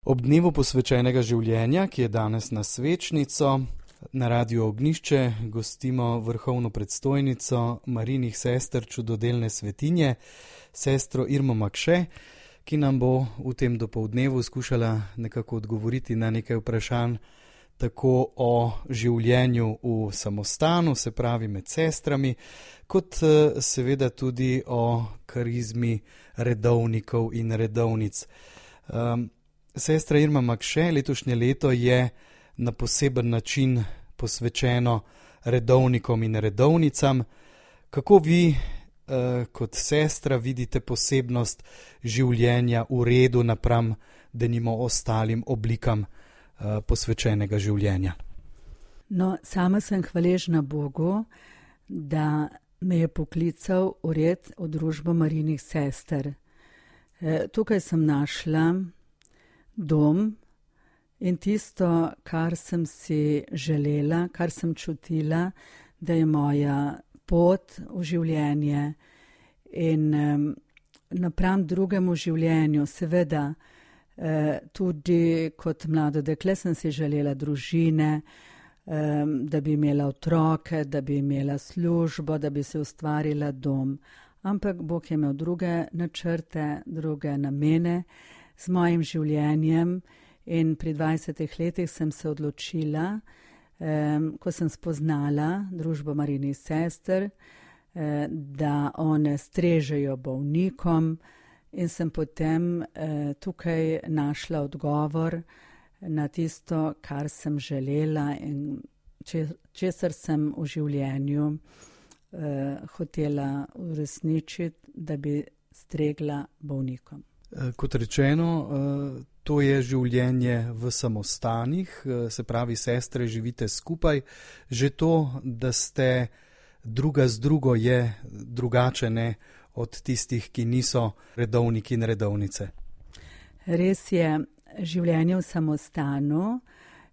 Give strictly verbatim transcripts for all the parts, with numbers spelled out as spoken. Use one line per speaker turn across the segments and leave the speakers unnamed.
Ob dnevu posvečenega življenja, ki je danes na svečnico, na Radiu Ognjišče gostimo vrhovno predstojnico Marijinih sester čudodelne svetinje, sestro Irmo Makše, ki nam bo v tem dopoldnevu skušala nekako odgovoriti na nekaj vprašanj tako o življenju v samostanu, se pravi med sestrami, kot seveda tudi o karizmi redovnikov in redovnic. Um, Sestra Irma Makše, letošnje leto je na poseben način posvečeno redovnikom in redovnicam. Kako vi eh, kot sestra vidite posebnost življenja v redu napram denimo ostalim oblikam eh, posvečenega življenja?
No, sama sem hvaležna Bogu, da me je poklical v red v družbo Marijinih sester. Eh, tukaj sem našla dom in tisto, kar sem si želela, kar sem čutila, da je moja pot v življenje in um, napram drugemu življenju, seveda eh, tudi kot mlado dekle sem si želela družine, um, da bi imela otroke, da bi imela službo, da bi se ustvarila dom. Ampak Bog je imel druge načrte, druge namene z mojim življenjem in pri dvajsetih letih sem se odločila, eh, ko sem spoznala družbo Marijinih sester, eh, da one strežejo bolnikom in sem potem eh, tukaj našla odgovor na tisto, kar sem želela in če, česar sem v življenju eh, hotela uresničiti, da bi stregla bolnikom.
Kot rečeno, to je življenje v samostanih, se pravi, sestre živite skupaj. Že to, da ste druga z drugo, je drugače ne od tistih, ki niso redovniki in redovnice.
Res je, življenje v samostanu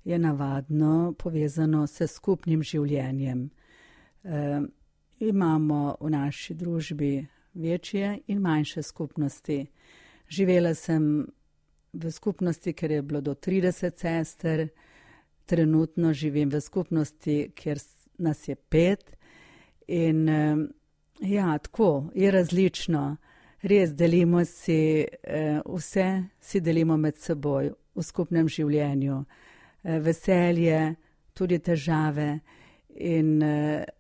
je navadno povezano s skupnim življenjem. E, imamo v naši družbi večje in manjše skupnosti. Živela sem v skupnosti, ker je bilo do trideset sester, trenutno živim v skupnosti, kjer nas je pet in ja, tako, je različno. Res delimo si, vse si delimo med seboj v skupnem življenju. Veselje, tudi težave in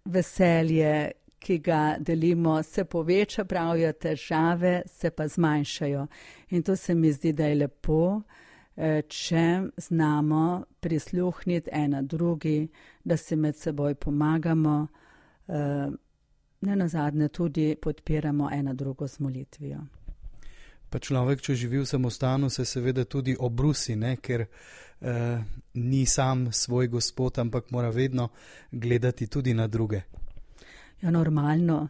veselje, ki ga delimo, se poveča, pravijo, težave se pa zmanjšajo. In to se mi zdi, da je lepo, če znamo prisluhniti ena drugi, da si med seboj pomagamo, ne nazadnje tudi podpiramo ena drugo z molitvijo.
Pa človek, če živi v samostanu, se seveda tudi obrusi, ne? Ker eh, ni sam svoj gospod, ampak mora vedno gledati tudi na druge.
Ja, normalno,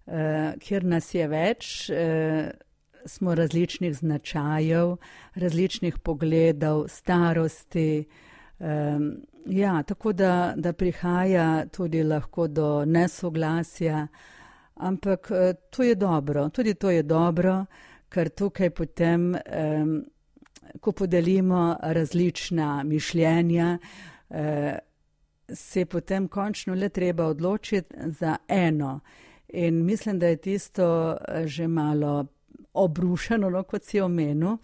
eh, kjer nas je več, eh, smo različnih značajev, različnih pogledov, starosti. Eh, ja, tako da, da prihaja tudi lahko do nesoglasja, ampak eh, to je dobro, tudi to je dobro, ker tukaj potem, eh, ko podelimo različna mišljenja, eh, se potem končno le treba odločiti za eno. In mislim, da je tisto že malo obrušeno, no, kot si omenil,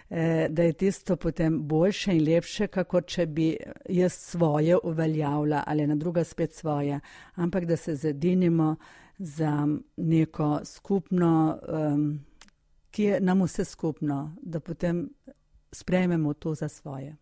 eh, da je tisto potem boljše in lepše, kako če bi jaz svoje uveljavila ali na druga spet svoje, ampak da se zedinimo za neko skupno, um, ki je nam vse skupno, da potem sprejmemo to za svoje.